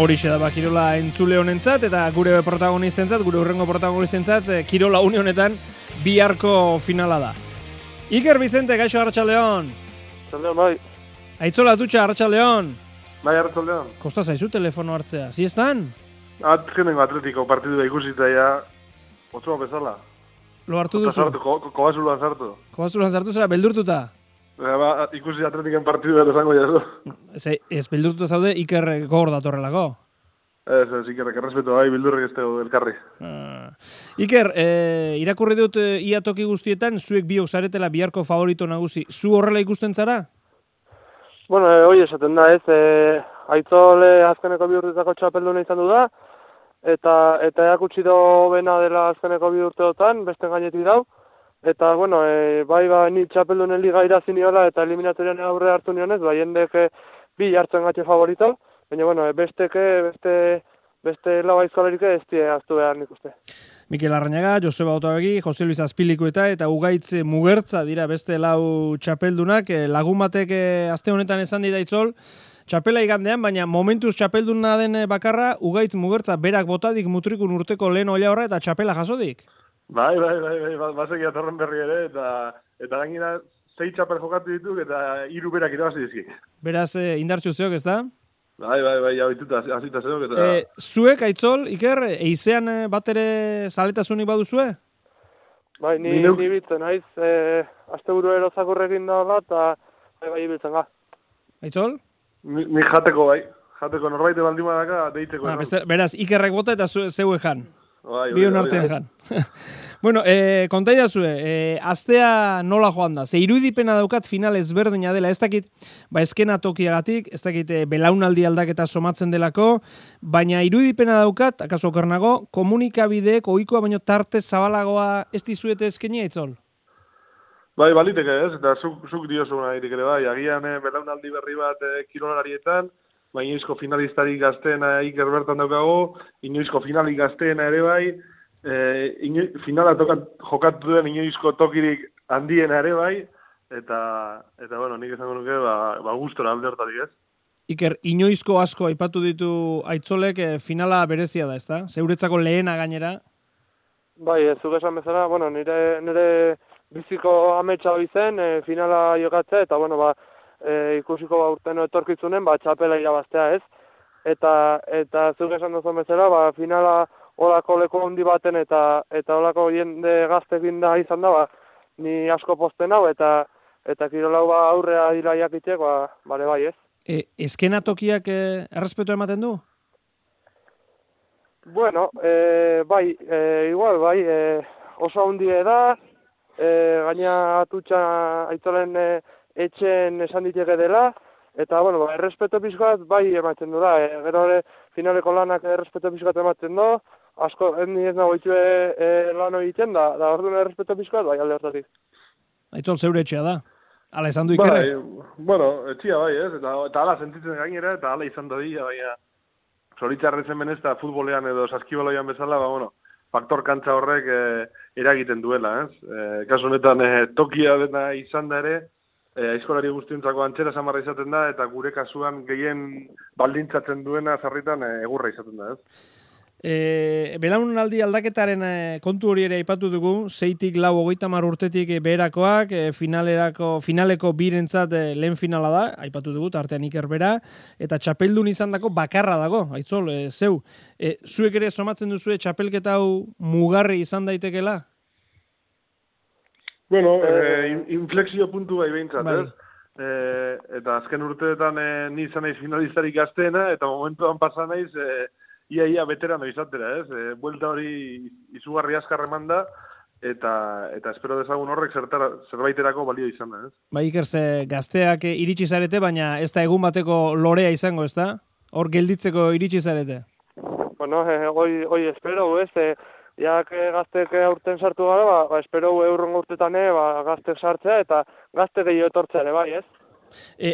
Horixe da Kirola entzule honentzat eta gure protagonistentzat, gure hurrengo protagonistentzat, Kirola une honetan biharko finala da. Iker Vicente, gaixo Arratsaldeon. Arratsaldeon, bai. Aitzola Atutxa, Arratsaldeon. Bai, Arratsaldeon. Kosta zaizu telefono hartzea, ziestan? Azkenengo Atletiko partidua ikusita ja, otsoa bezala. Lo hartu duzu? Kobazuluan sartu. Kobazuluan sartu zera, beldurtuta? Ikusi Atletiken partidua esango jazu. Ez beldurtuta zaude, Iker gogor datorrelako. Ez, Ikerrek errespetu bai, bildurrek ez dugu elkarri. Iker, irakurri dut ia toki guztietan, zuek biok zaretela biharko favorito nagusi. Zu horrela ikusten zara? Bueno, hoi esaten da, ez. Aitzole azkeneko bi urtetako txapelduna izan du da, eta erakutsi do bena dela azkeneko bi urteotan, beste gainetik dau. Eta, bueno, ni txapeldunen liga irazi niola eta eliminatorian aurre hartu nionez, jendek bi hartzen gatxe favorito, baina, bueno, beste lau aizkolerik ez die aztu behar nik uste. Mikel Arrañaga, Joseba Otavegi, Jose Luis Azpilikueta eta Ugaitz Mugertza dira beste lau txapeldunak. Lagun batek aste honetan esan dira Itzol, txapela igandean, baina momentuz txapelduna den bakarra, Ugaitz Mugertza berak botadik mutrikun urteko lehen oila horra eta txapela jasodik. Bai, basek atorren berri ere, eta gainera 6 txapel jokatu dituk eta 3 berak irabazi dizki. Beraz, indartxu zeok, ez da? Bai, jabituta, azita zeok eta... Zuek, Aitzol, Iker, eizean bat ere zaletasunik baduzue? Bai, ni bitzen, haiz, azte buru erozakurrekin daola, eta bai ibiltzen ga. Aitzol? Ni jateko norbaite baldin badaka, deiteko. Beraz, Ikerrek bota eta zeue jan. Bion artean jan. Bueno, konta idazue, astea nola joan da? Ze irudipena daukat final ezberdina dela, ez dakit, ezkena tokiagatik, ez dakit belaunaldi aldaketa somatzen delako, baina irudipena daukat, akaso okernago, komunikabideek ohikoa baino tarte zabalagoa ez dizuete eskenia Itzol? Bai, baliteke ez, eta zuk diozu nahirik ere bai, agian belaunaldi berri bat kirolarietan, inoizko finalistari gazteena Iker bertan daukago, inoizko finali gazteena ere bai, finala jokatu duen inoizko tokirik handiena ere bai, eta bueno, nik esango nuke, gustora alde hortatik ez. Iker, inoizko asko aipatu ditu Aitzolek finala berezia da, ezta? Zeuretzako lehena gainera? Bai, zuk esan bezala, bueno, nire biziko ametsa zen, finala jokatzea, eta bueno, ikusiko urten etorkitzunen, txapela irabaztea ez. Eta zuk esan duzun bezala, finala olako leku handi baten eta olako jende gaztekin da izan da, ni asko posten hau, eta kirolau aurrea dira jakitek, bale bai ez. Eskenatokiak errespetu ematen du? Bueno, igual, oso handie da, gaina Atutxa Aitzolen etxen esan diteke dela, eta, bueno, errespeto pixkoat bai ematen du da, gero finaleko lanak errespeto pixkoat ematen du, asko, ez nago itxue lan egiten da orduan errespeto pixkoat bai alde hortatik. Aitzol zeure etxea da, ala esan du Ikerre? Bueno, etxea bai ez, eta ala sentitzen gainera, eta ala izan da dira, baina zoritxarretzen benezta futbolean edo saskibaloian bezala, faktor kantza horrek eragiten duela, ez? Kasu honetan tokia dena izan da ere, aizkolari guztientzako antxera samarra izaten da, eta gure kasuan gehien baldintzatzen duena zarritan egurra izaten da, ez? Belaunaldi aldaketaren kontu hori ere aipatu dugu, 6-tik 30 urtetik beherakoak, finaleko birentzat lehen finala da, aipatu dugu, artean Iker bera, eta txapeldun izandako bakarra dago, Aitzol, zeu. Zuek ere somatzen duzue txapelketa hau mugarri izan daitekela? Bueno, inflexio puntu bai behintzat, ez? Eta azken urteetan ni izan naiz finalistarik gazteena, eta momentuan pasa naiz ia veterano izatera, ez? Buelta hori izugarri azkar eman da, eta espero dezagun horrek zerbaiterako balio izan da, ez? Iker, gazteak iritsi zarete, baina ez da egun bateko lorea izango, ez da? Hor gelditzeko iritsi zarete? Bueno, hoi espero, ez? Jak gaztek aurten sartu gara, espero eurrongo urtetan gaztek sartzea, eta gazte gehiago etortzea ere, bai, ez?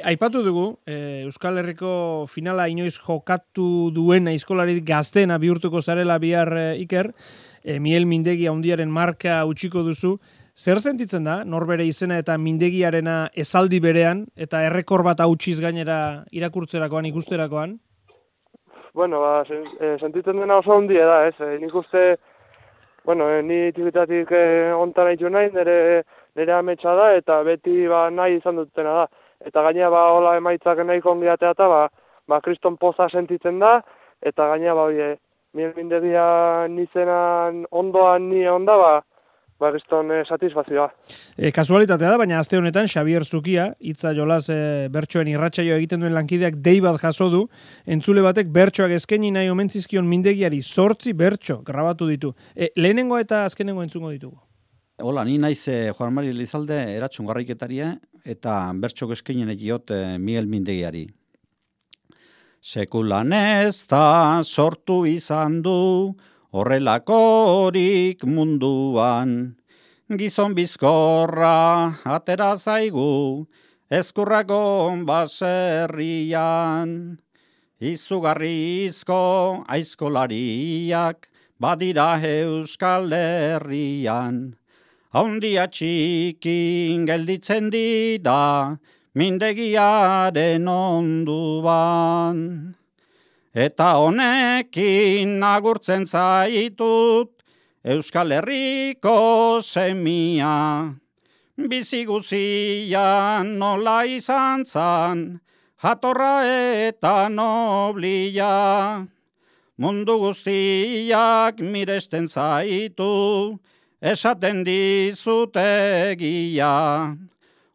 Aipatu dugu, Euskal Herriko finala inoiz jokatu duen aizkolarik gazteena bihurtuko zarela bihar Iker, Miel Mindegi handiaren marka utziko duzu, Zer sentitzen da, norbere izena eta mindegiarena esaldi berean, eta errekor bat hautsiz gainera irakurtzerakoan, ikusterakoan? Bueno, sentitzen dena oso handia da, ez? Nik uste, ni txikitatik ontan haitu nahi, nire ametsa da, eta beti nahi izan dutena da. Eta gainea hola emaitzak nahi kongiatea eta kriston poza sentitzen da, eta gainea mindegia nizenan ondoan ni onda, kriston satisfazioa. Kasualitatea da, baina aste honetan Xabier Zukia, hitza jolas bertsoen irratsaio egiten duen lankideak dei bat jaso du, entzule batek bertsoak eskaini nahi omentzizkion mindegiari 8 bertso grabatu ditu. Lehenengo eta azkenengo entzungo ditugu. Hola, ni naiz Juan Mari Elizalde eratxun garraiketaria eta bertxok eskainen egiot Miguel Mindegiari. Sekulan ez da sortu izan du horrelakorik munduan. Gizon bizkorra atera zaigu ezkurrakon baserrian. Izugarrizko aizkolariak badira Euskal Herrian. Haundia txikin gelditzen dira mindegiaren onduan. Eta honekin agurtzen zaitut Euskal Herriko semia. Bizi guzian nola izan zan, jatorra eta noblia. Mundu guztiak miresten zaitu, esaten dizutegia.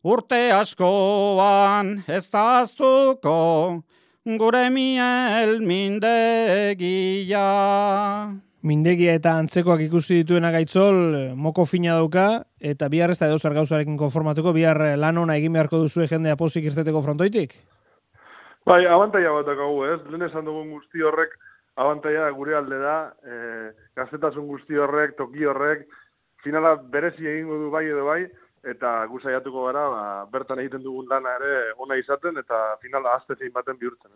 Urte askoan ez da aztuko, gure Miguel mindegia. Mindegia eta antzekoak ikusi dituena Gaitzol, moko fina dauka, eta bihar ez da edozar gauzarekin konformatuko, bihar lan ona egin beharko duzue jendea pozik irteteko frontoitik? Bai, abantaia bat dakagu, ez? Lehen esan dugun guzti horrek, abantaia gure alde da, gaztetasun guzti horrek, toki horrek, finala berezi egingo du bai edo bai, eta gu saiatuko gara, bertan egiten dugun lana ere ona izaten, eta finala aztezin baten bihurtzen.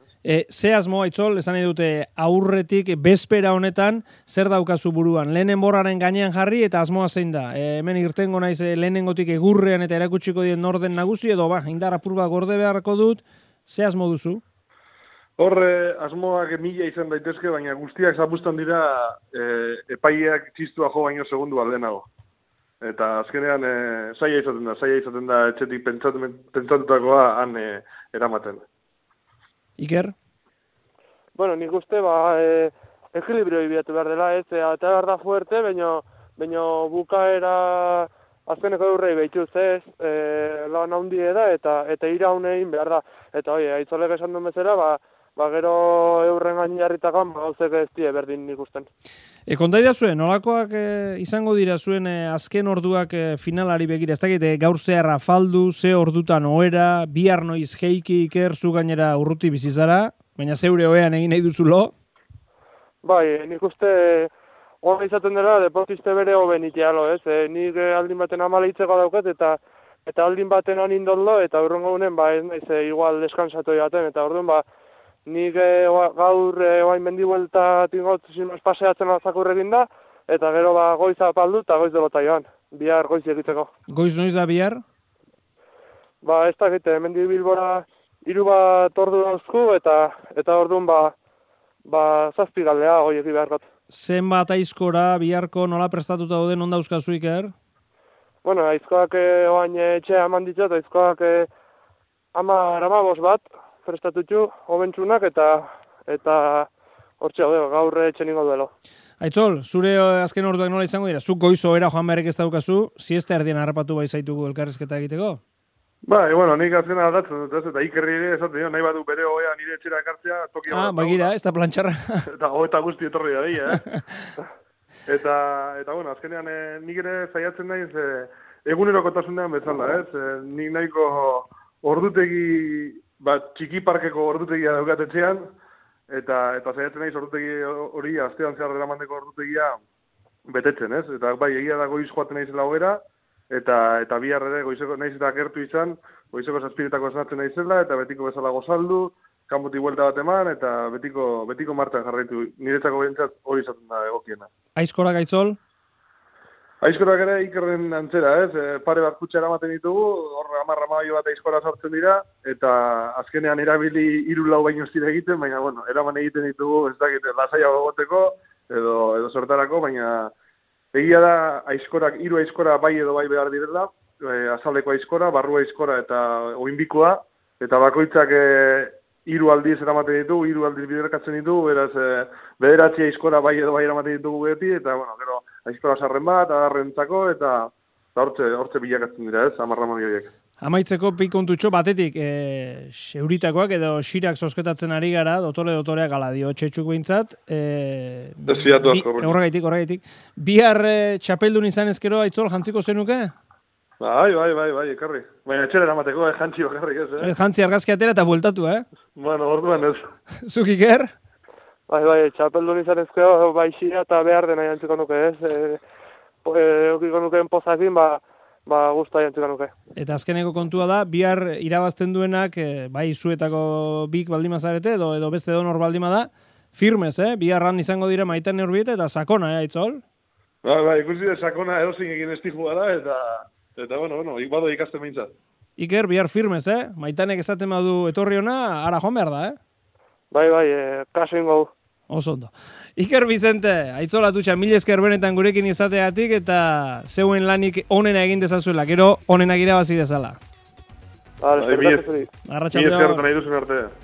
Ze asmo, Aitzol, esan dute aurretik, bezpera honetan, zer daukazu buruan? Lehenen borraren gainean jarri eta asmoa zein da? Hemen irtengo naiz lehenengotik egurrean eta erakutsiko dien norden nagusi, edo indar apur bat gorde beharko dut, ze asmo duzu? Horre, asmoak 1000 izan daitezke, baina guztiak zapustan dira epaileak txistua jo baino segundu aldenago. Eta azkenean saia izaten da etxetik pentsatutakoa han eramaten. Iker? Bueno, nik uste ekilibrio ibiatu behar dela, ez, eta behar da fuerte, baina bukaera azkeneko eurrei behituz ez, lan handie da, eta iraun egin behar da. Eta Aitzolek esan duen bezala, gero eurren gain jarritakan, gauzek ez die berdin ikusten. Kontaida zuen, nolakoak izango dira zuen azken orduak finalari begira, ez dakit gaur zehar afaldu, ze ordutan ohera, bihar noiz jeiki Iker zu gainera urruti bizizara, baina zeure ohean egin nahi duzulo? Bai, nik uste hona izaten dela deportiste bere hoben itealo, ez? Nik aldin baten amalitzeko daukat eta aldin baten anindollo, eta urrengo gunen, ez naiz igual descansatu jaten, eta orduan, nik gaur oain mendibuelta tingot paseatzen alzakurrekin da, eta gero goiz apaldu eta goiz delota joan, bihar goiz egiteko. Goiz noiz da bihar? Ez dakite, mendi bilbora 3 bat ordu dauzku, eta orduan 7 galdea goi egi beharkot. Zenbat aizkora biharko nola prestatuta dauden onda euskazu Iker? Bueno, aizkoak oain etxea eman ditzat, aizkoak 15 bat, prestatutxu, hobentsunak, eta hortxe gaur etxe ningo duelo. Aitzol, zure azken orduak nola izango dira? Zuk goiz ohera joan beharrek ez daukazu, siesta erdien harrapatu bai zaitugu elkarrizketa egiteko? Bai, nik azken aldatzen dut, eta Ikerri ere esaten nahi badu bere ohea nire etxera ekartzea, tokia bat. Bagira, ez da plantxarra. Eta guzti etorri da dira, Eta azkenean nik ere zaiatzen naiz egunerokotasunean bezala, ez? Nik nahiko ordutegi, txiki parkeko ordutegia daukatetxean, eta zaiatzen naiz ordutegi hori astean zehar eramandeko ordutegia betetzen, ez? Eta bai, egia da goiz joaten naizela hogera, eta bihar ere goizeko naiz eta gertu izan, goizeko 7etako esnatzen naizela, eta betiko bezala gozaldu, kanpotik buelta bat eman, eta betiko martan jarraitu. Niretzako behintzat hori izaten da egokiena. Aizkora Gaitzol? Aizkorak ere ikerren antzera, pare bat kutsa eramaten ditugu, hor 10 bat aizkora sortzen dira, eta azkenean erabili 3-4 baino ez dira egiten, baina, bueno, eraman egiten ditugu, ez dakit, lasaiago egoteko, edo sortarako, baina egia da aizkorak, 3 aizkora bai edo bai behar direla, azaleko aizkora, barru aizkora eta oinbikoa, eta bakoitzak 3 aldiz eramaten ditugu, 3 aldiz biderkatzen ditugu, beraz, 9 aizkora bai edo bai eramaten ditugu beti, eta, bueno, gero, aizkora sarren bat, adarrentzako, eta hortze bilakatzen dira, 10 horiek. Amaitzeko pikontutxo batetik, seuritakoak edo xirak sosketatzen ari gara, dotoreak ala dio txetxuk behintzat. Horregaitik. Bihar txapeldun izan ezkero, Aitzol, jantziko zenuke? Bai, ekarri. Baina etxera eramateko, jantzi bakarrik ez, Jantzi argazki atera eta bueltatu, Bueno, orduan ez. Zuk Iker? Bai, txapeldun izan ezkero, bai xira eta behar dena jantziko nuke, Eukiko nukeen pozakin, guztua jantziko nuke. Eta azkeneko kontua da, bihar irabazten duenak, bai zuetako bik baldima zarete, edo beste donor baldima da, firmez, biharran izango dira Maitane Urbieta eta sakona, Aitzol? Bai, ikusi da sakona edozin egin estijua da, eta bueno, bado ikasten behintzat. Iker, bihar firmez, Maitanek esaten badu etorri ona, ara joan behar da, Bai, kaso ingo. Oso ondo. Iker Vicente, Aitzol Atutxa, mil esker benetan gurekin izateagatik eta zeuen lanik onena egin dezazuela, gero onenak irabazi dezala. Arratxaldeon. Mil esker nahi duzun arte.